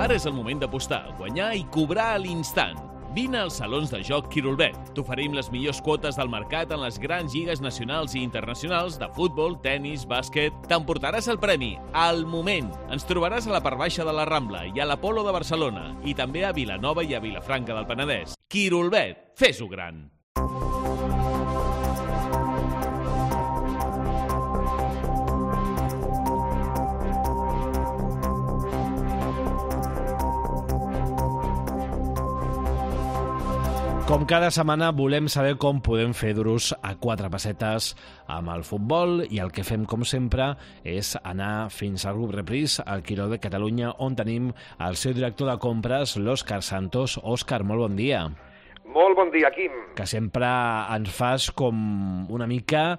Ara és el moment d'apostar, guanyar i cobrar a l'instant. Vine als salons de joc Quirolbet. T'oferim les millors quotes del mercat en les grans lligues nacionals i internacionals de futbol, tennis, bàsquet. T'emportaràs el premi al moment. Ens trobaràs a la part baixa de la Rambla i a l'Apolo de Barcelona i també a Vilanova i a Vilafranca del Penedès. Quirolbet, fes-ho gran! Com cada setmana volem saber com podem fer duros a 4 pessetes amb el futbol i el que fem, com sempre, és anar fins al grup Repris, al Quirolbet Catalunya, on tenim el seu director de compres, l'Òscar Santos. Òscar, molt bon dia. Molt bon dia, Quim. Que sempre ens fas com una mica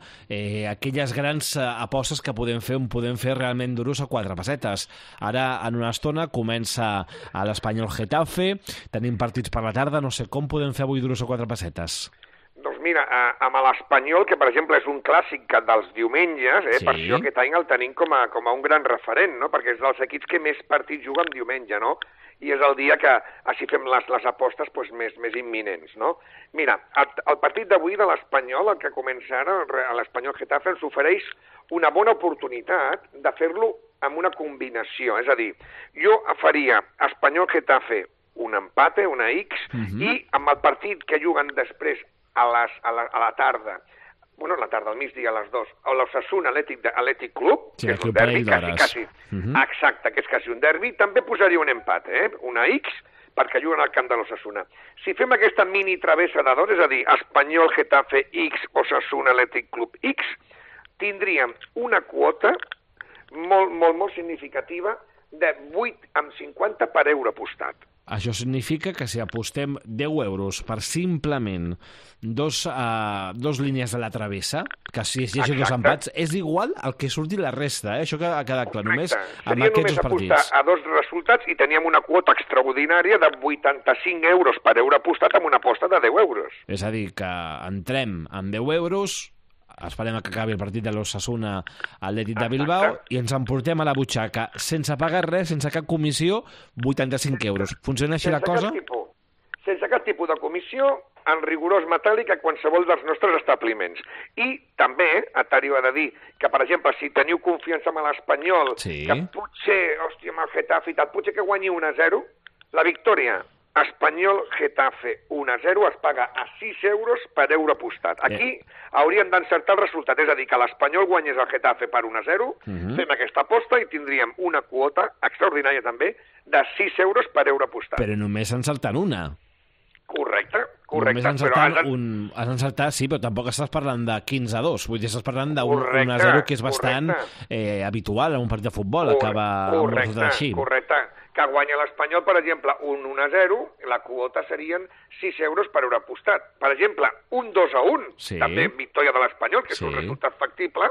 aquelles grans apostes que podem fer realment duros a 4 pessetes. Ara, en una estona, comença a l'Espanyol Getafe, tenim partits per la tarda, no sé, com podem fer avui duros a 4 pessetes? Doncs mira, amb l'Espanyol, que per exemple és un clàssic dels diumenges, Sí. Per això aquest any el tenim com a un gran referent, no? Perquè és dels equips que més partits juguen diumenge, no? I és el dia que així fem les apostes més imminents, no? Mira, el partit d'avui de l'Espanyol, el que comença ara, l'Espanyol Getafe, ens ofereix una bona oportunitat de fer-lo amb una combinació. És a dir, jo faria Espanyol Getafe un empate, una X, i amb el partit que juguen després a la tarda, al migdia, a les 2, a l'Osasuna Atlètic Club, Sí, que és un derbi, quasi. Exacte, que és quasi un derbi, també posaria un empat, una X, perquè juguen al camp de l'Osasuna. Si fem aquesta mini travessa de 2, és a dir, Espanyol Getafe X, Osasuna Atlètic Club X, tindríem una quota molt significativa de 8,50 per euro apostat. Això significa que si apostem 10 euros per simplement dos línies de la travessa, que si es llegeixen dos empats, és igual el que surti la resta, Això que ha quedat clar, només amb aquests dos partits. Seria només apostar a 2 resultats i teníem una quota extraordinària de 85 euros per euro apostat amb una aposta de 10 euros. És a dir, que entrem amb 10 euros, esperem que acabi el partit de l'Osasuna Atlètic de Bilbao i ens emportem a la butxaca, sense pagar res, sense cap comissió, 85 euros. Funciona així la cosa? Sense cap tipus de comissió, en rigorós metàl·lic a qualsevol dels nostres establiments. I també t'hauria de dir que, per exemple, si teniu confiança en l'Espanyol, que potser, amb el Getafe i tal, potser que guanyi 1-0, la victòria Espanyol Getafe 1-0 es paga a 6 euros per euro apostat. Aquí hauríem d'encertar el resultat, és a dir, que l'Espanyol guanyés el Getafe per 1-0, fem aquesta aposta i tindríem una quota extraordinària també de 6 euros per euro apostat. Però només encertant una. Correcte. Només has encertat, sí, però tampoc estàs parlant de 15-2, vull dir, estàs parlant de 1-0, que és bastant habitual en un partit de futbol, acaba amb un resultat així. Correcte. Que guanya l'Espanyol, per exemple, un 1-0, la quota serien 6 euros per euro apostat. Per exemple, un 2-1, també victòria de l'Espanyol, que és un resultat factible,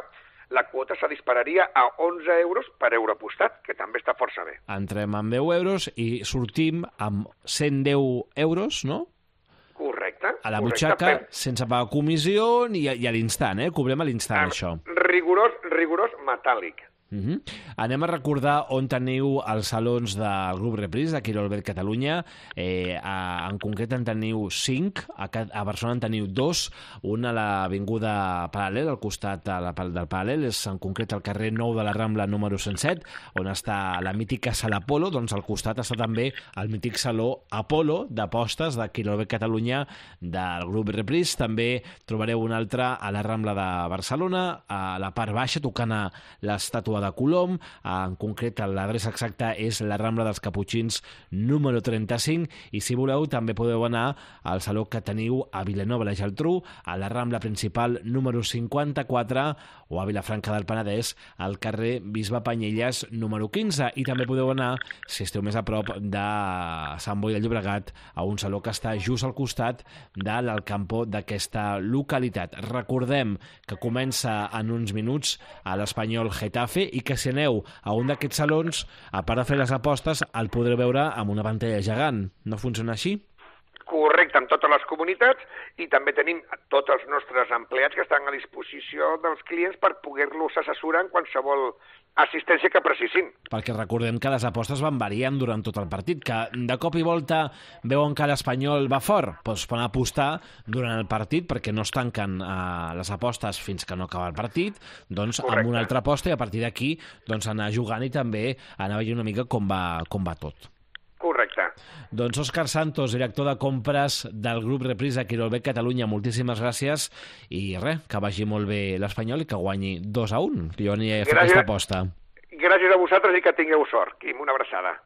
la quota se dispararia a 11 euros per euro apostat, que també està força bé. Entrem amb 10 euros i sortim amb 110 euros, no? Correcte. A la butxaca, sense pagar comissió i a l'instant, cobrem a l'instant, això. Rigorós metàl·lic. Anem a recordar on teniu els salons del grup Repris de Quirolbet Catalunya. En concret en teniu 5, a Barcelona en teniu 2, un a l'avinguda Paral·lel, al costat del Paral·lel, és en concret al carrer 9 de la Rambla número 107, on està la mítica sala Apolo. Doncs al costat està també el mític saló Apolo d'apostes de Quirolbet Catalunya del grup Repris. També trobareu un altre a la Rambla de Barcelona, a la part baixa, tocant a l'estàtua de Colom. En concret, l'adreça exacta és la Rambla dels Caputxins número 35, i si voleu també podeu anar al saló que teniu a Vilanova i la Geltrú, a la Rambla principal número 54, o a Vilafranca del Penedès, al carrer Bisbe Panyelles número 15, i també podeu anar, si esteu més a prop de Sant Boi de Llobregat, a un saló que està just al costat de l'Alcampo d'aquesta localitat. Recordem que comença en uns minuts a l'Espanyol Getafe i que si aneu a un d'aquests salons, a part de fer les apostes, el podreu veure amb una pantalla gegant. No funciona així? Correcte, amb totes les comunitats, i també tenim tots els nostres empleats que estan a disposició dels clients per poder-los assessorar en qualsevol assistència que precissin. Perquè recordem que les apostes van variant durant tot el partit, que de cop i volta veuen que l'Espanyol va fort, doncs poden apostar durant el partit perquè no es tanquen les apostes fins que no acaba el partit, doncs amb una altra aposta i a partir d'aquí doncs anar jugant i també anar veient una mica com va tot. Correcte. Doncs Òscar Santos, director de compres del grup Reprisa Quirolbet Catalunya, moltíssimes gràcies i res, que vagi molt bé l'Espanyol i que guanyi 2-1. Jo aniré a fer aquesta aposta. Gràcies a vosaltres i que tingueu sort. Quim, una abraçada.